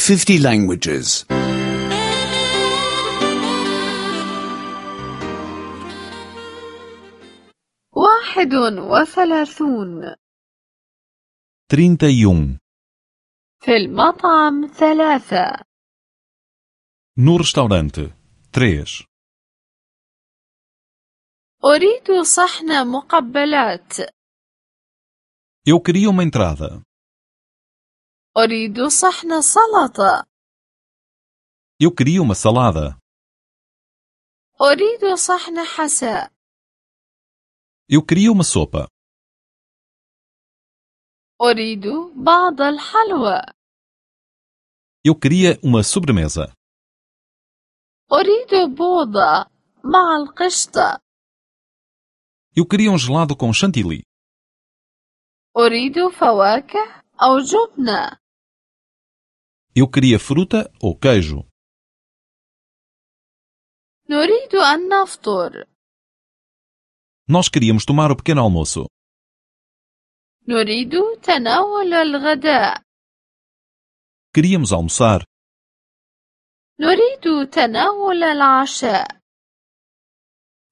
50 languages. 31. 31. في المطعم 3. No restaurante. 3. أريد صحن مقبلات. Eu queria uma entrada. أريد صحن سلطة. Eu queria uma salada. أريد صحن حساء. Eu queria uma sopa. أريد بعض الحلوى. Eu queria uma sobremesa. أريد بوظة مع القشطة. Eu queria gelado com chantilly. أريد فواكه أو جبنة. Eu queria fruta ou queijo. نريد أن نفطر. Nós queríamos tomar o pequeno almoço. نريد تناول الغداء. Queríamos almoçar. نريد تناول العشاء.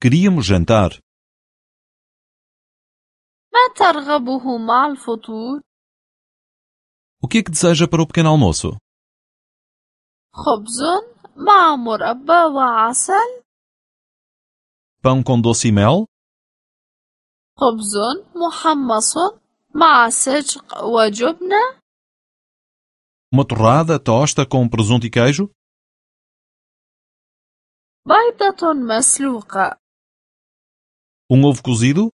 Queríamos jantar. ما ترغبه مع الفطور؟ O que é que deseja para o pequeno almoço? خبز مع مربى وعسل. Pão com doce e mel? خبز محمص مع سجق وجبنة. Uma torrada, tosta com presunto e queijo? بيضة مسلوقة. Ovo cozido?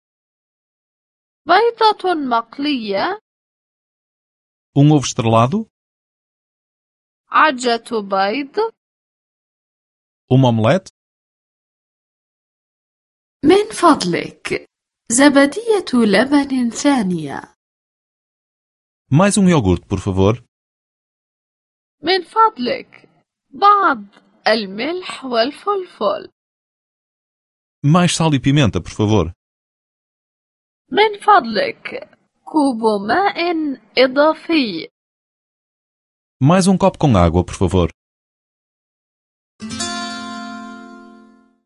بيضة مقلية. Ovo estrelado? عجة بيض. Omelete? من فضلك زبدية لبن ثانية. Mais iogurte, por favor. من فضلك بعض الملح والفلفل. Mais sal e pimenta, por favor. من فضلك كوب ماء إضافي. Mais copo com água, por favor.